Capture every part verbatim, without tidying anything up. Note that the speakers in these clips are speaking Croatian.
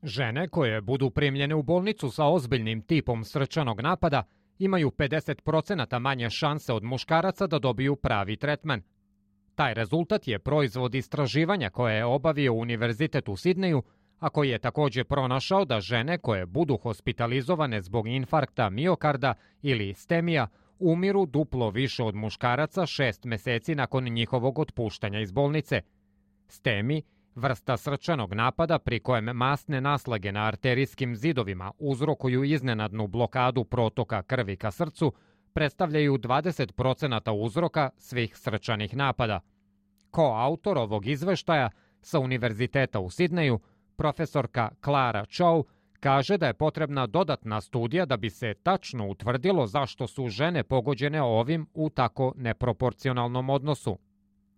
Žene koje budu primljene u bolnicu sa ozbiljnim tipom srčanog napada imaju pedeset procenata manje šanse od muškaraca da dobiju pravi tretman. Taj rezultat je proizvod istraživanja koje je obavio Univerzitet u Sidneju, a koji je također pronašao da žene koje budu hospitalizovane zbog infarkta miokarda ili stemija umiru duplo više od muškaraca šest meseci nakon njihovog otpuštanja iz bolnice. Stemi, vrsta srčanog napada pri kojem masne naslage na arterijskim zidovima uzrokuju iznenadnu blokadu protoka krvi ka srcu, predstavljaju dvadeset procenata uzroka svih srčanih napada. Koautor ovog izveštaja sa Univerziteta u Sidneju, profesorka Clara Chow, kaže da je potrebna dodatna studija da bi se tačno utvrdilo zašto su žene pogođene ovim u tako neproporcionalnom odnosu.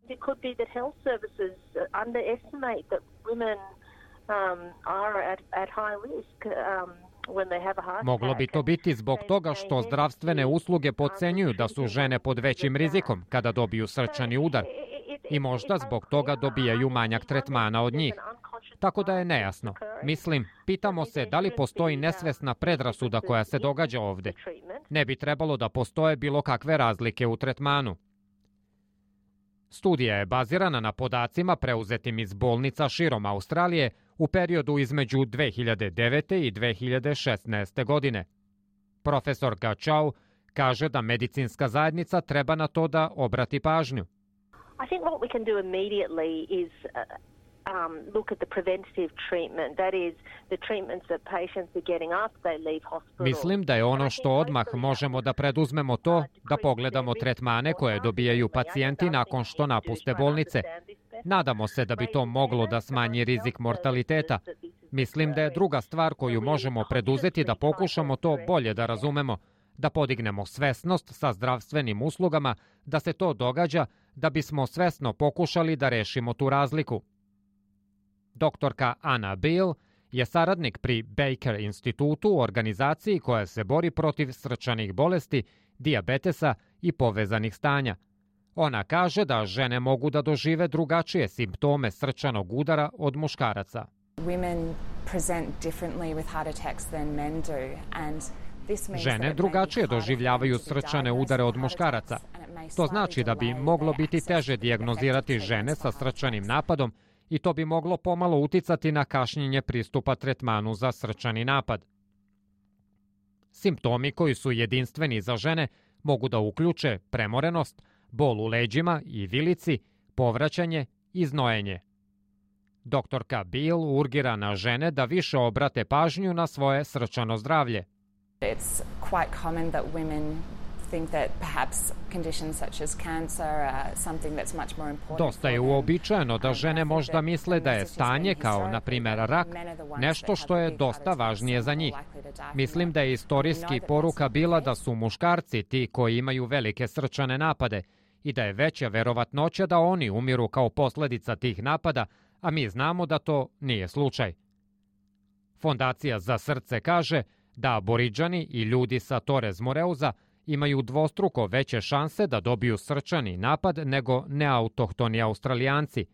It could be that health services underestimate that women um, are at, at high risk um, when they have a heart attack. Moglo bi to biti zbog toga što zdravstvene usluge podcenjuju da su žene pod većim rizikom kada dobiju srčani udar i možda zbog toga dobijaju manjak tretmana od njih. Tako da je nejasno. Mislim, pitamo se da li postoji nesvesna predrasuda koja se događa ovde. Ne bi trebalo da postoje bilo kakve razlike u tretmanu. Studija je bazirana na podacima preuzetim iz bolnica širom Australije u periodu između dve hiljade devete i dve hiljade šesnaeste. godine. Profesorka Chow kaže da medicinska zajednica treba na to da obrati pažnju. I think what we can do immediately is um, look at the preventative treatment. That is the treatments that patients are getting after they leave hospital. Mislim da je ono što odmah možemo da preduzmemo to da pogledamo tretmane koje dobijaju pacijenti nakon što napuste bolnice. Nadamo se da bi to moglo da smanji rizik mortaliteta. Mislim da je druga stvar koju možemo preduzeti da pokušamo to bolje da razumemo, da podignemo svesnost sa zdravstvenim uslugama, da se to događa, da bismo svesno pokušali da rešimo tu razliku. Doktorka Anna Beal je saradnik pri Baker institutu u organizaciji koja se bori protiv srčanih bolesti, dijabetesa i povezanih stanja. Ona kaže da žene mogu da dožive drugačije simptome srčanog udara od muškaraca. Women present differently with heart attacks than men do, and Žene drugačije doživljavaju srčane udare od muškaraca. To znači da bi moglo biti teže dijagnozirati žene sa srčanim napadom i to bi moglo pomalo uticati na kašnjenje pristupa tretmanu za srčani napad. Simptomi koji su jedinstveni za žene mogu da uključe premorenost, bol u leđima i vilici, povraćanje i znojenje. Doktorka Beal urgira na žene da više obrate pažnju na svoje srčano zdravlje. It's quite common that women think that perhaps conditions such as cancer are something that's much more important. Dosta je uobičajeno da žene možda misle da je stanje kao, na primjer, rak, nešto što je dosta važnije za njih. Mislim da je istorijski poruka bila da su muškarci ti koji imaju velike srčane napade i da je veća verovatnoća da oni umiru kao posljedica tih napada, a mi znamo da to nije slučaj. Fondacija za srce kaže da Aboridžani i ljudi sa Torres Moreuza imaju dvostruko veće šanse da dobiju srčani napad nego neautohtoni Australijanci.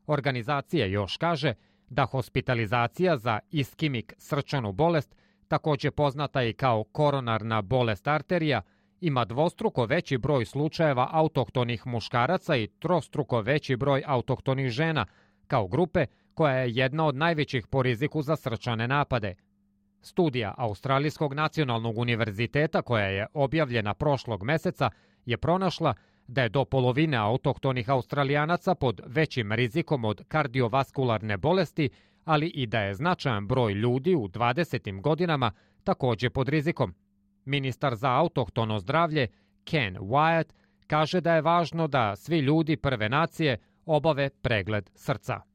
Organizacija još kaže da hospitalizacija za iskimik srčanu bolest, također poznata i kao koronarna bolest arterija, ima dvostruko veći broj slučajeva autohtonih muškaraca i trostruko veći broj autohtonih žena, kao grupe koja je jedna od najvećih po riziku za srčane napade. Studija Australijskog nacionalnog univerziteta koja je objavljena prošlog meseca je pronašla da je do polovine autohtonih Australijanaca pod većim rizikom od kardiovaskularne bolesti, ali i da je značajan broj ljudi u dvadesetim godinama također pod rizikom. Ministar za autohtono zdravlje Ken Wyatt kaže da je važno da svi ljudi prve nacije obave pregled srca.